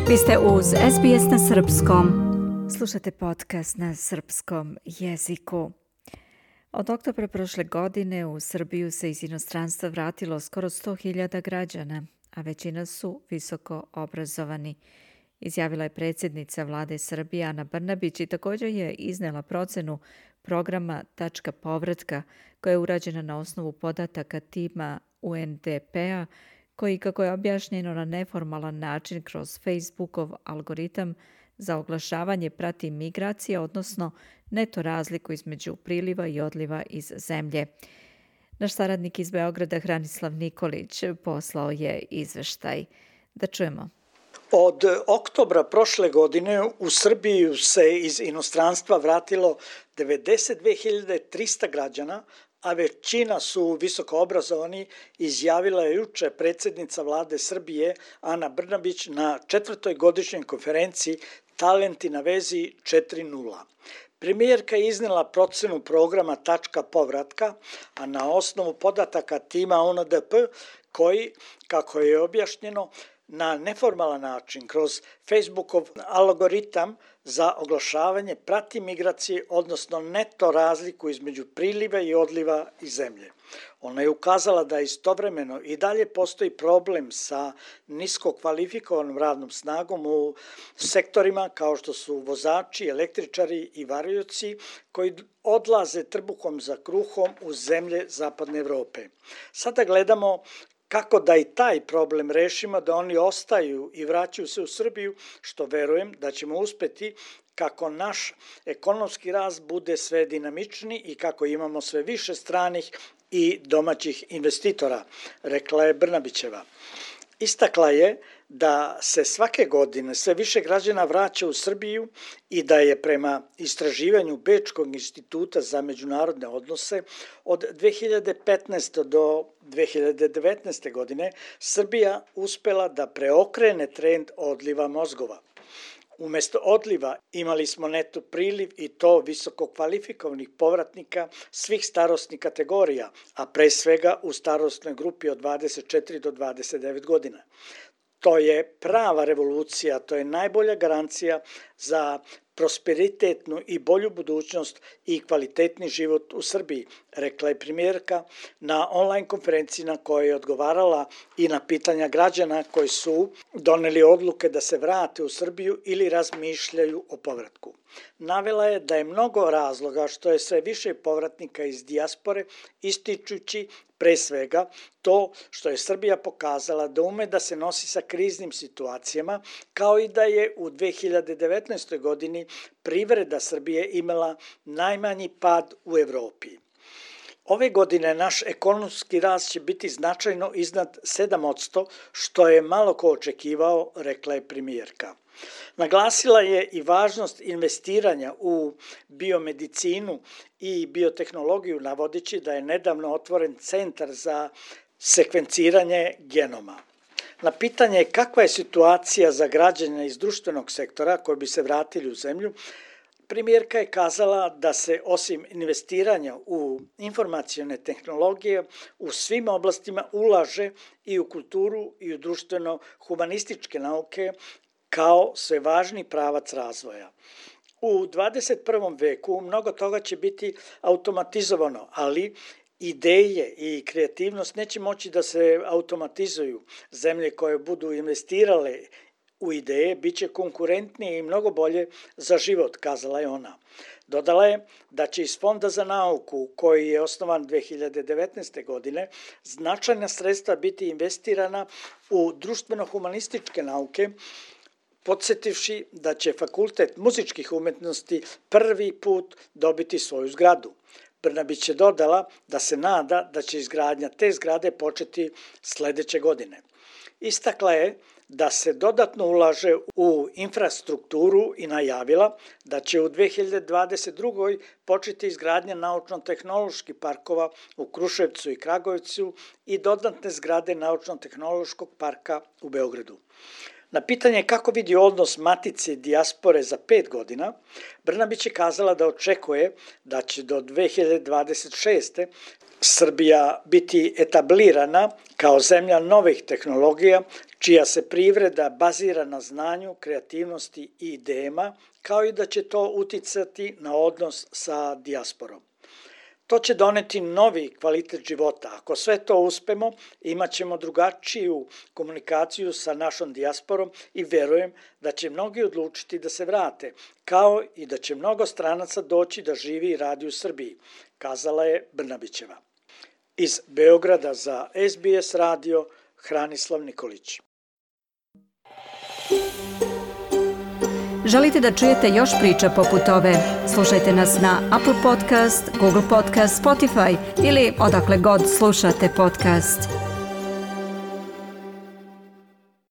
Vi ste uz SBS na srpskom. Slušate podcast na srpskom jeziku. Od oktobra prošle godine u Srbiju se iz inostranstva vratilo skoro 100.000 građana, a većina su visoko obrazovani. Izjavila je predsjednica vlade Srbije Ana Brnabić i također je iznela procenu programa Tačka povratka koja je urađena na osnovu podataka tima UNDP-a koji, kako je objašnjeno na neformalan način kroz Facebookov algoritam za oglašavanje, prati migracije, odnosno neto razliku između priliva i odliva iz zemlje. Naš saradnik iz Beograda Hranislav Nikolić poslao je izveštaj. Da čujemo. Od oktobra prošle godine u Srbiju se iz inostranstva vratilo 92.300 građana, a većina su visoko obrazovani, izjavila je juče predsjednica vlade Srbije Ana Brnabić na 4. godišnjoj konferenciji Talenti na vezi 4.0. Premijerka je iznela procenu programa Tačka povratka, a na osnovu podataka tima UNDP koji, kako je objašnjeno, na neformalan način kroz Facebookov algoritam za oglašavanje prati migracije, odnosno neto razliku između priliva i odliva iz zemlje. Ona je ukazala da istovremeno i dalje postoji problem sa nisko kvalifikovanom radnom snagom u sektorima kao što su vozači, električari i varioci koji odlaze trbuhom za kruhom u zemlje Zapadne Evrope. Sada gledamo kako da i taj problem rešimo, da oni ostaju i vraćaju se u Srbiju, što verujem da ćemo uspeti kako naš ekonomski rast bude sve dinamičniji i kako imamo sve više stranih i domaćih investitora, rekla je Brnabićeva. Istakla je da se svake godine sve više građana vraća u Srbiju i da je prema istraživanju Bečkog instituta za međunarodne odnose od 2015. do 2019. godine Srbija uspela da preokrene trend odliva mozgova. Umesto odliva imali smo neto priliv i to visoko kvalifikovanih povratnika svih starosnih kategorija, a pre svega u starosnoj grupi od 24 do 29 godina. To je prava revolucija, to je najbolja garancija za prosperitetnu i bolju budućnost i kvalitetni život u Srbiji, rekla je premijerka na online konferenciji na kojoj je odgovarala i na pitanja građana koji su doneli odluke da se vrate u Srbiju ili razmišljaju o povratku. Navela je da je mnogo razloga što je sve više povratnika iz dijaspore, ističući pre svega to što je Srbija pokazala da ume da se nosi sa kriznim situacijama, kao i da je u 2019. godini privreda Srbije imala najmanji pad u Evropi. Ove godine naš ekonomski rast će biti značajno iznad 7%, što je malo ko očekivao, rekla je premijerka. Naglasila je i važnost investiranja u biomedicinu i biotehnologiju, navodeći da je nedavno otvoren centar za sekvenciranje genoma. Na pitanje kakva je situacija za građane iz društvenog sektora koji bi se vratili u zemlju, premijerka je kazala da se osim investiranja u informacione tehnologije u svim oblastima ulaže i u kulturu i u društveno-humanističke nauke kao sve važni pravac razvoja. U 21. veku mnogo toga će biti automatizovano, ali ideje i kreativnost neće moći da se automatizuju. Zemlje koje budu investirale u ideje bit će konkurentnije i mnogo bolje za život, kazala je ona. Dodala je da će iz Fonda za nauku, koji je osnovan 2019. godine, značajna sredstva biti investirana u društveno-humanističke nauke, podsjetivši da će Fakultet muzičkih umetnosti prvi put dobiti svoju zgradu. Brnabić je dodala da se nada da će izgradnja te zgrade početi sledeće godine. Istakla je da se dodatno ulaže u infrastrukturu i najavila da će u 2022. početi izgradnja naučno-tehnoloških parkova u Kruševcu i Kragujevcu i dodatne zgrade naučno-tehnološkog parka u Beogradu. Na pitanje kako vidi odnos matice i dijaspore za 5 godina, Brnabić je kazala da očekuje da će do 2026. Srbija biti etablirana kao zemlja novih tehnologija, čija se privreda bazira na znanju, kreativnosti i idejama, kao i da će to uticati na odnos sa dijasporom. To će doneti novi kvalitet života. Ako sve to uspemo, imat ćemo drugačiju komunikaciju sa našom dijasporom i verujem da će mnogi odlučiti da se vrate, kao i da će mnogo stranaca doći da živi i radi u Srbiji, kazala je Brnabićeva. Iz Beograda za SBS radio, Hranislav Nikolić. Želite da čujete još priča poput ove? Slušajte nas na Apple Podcast, Google Podcast, Spotify ili odakle god slušate podcast.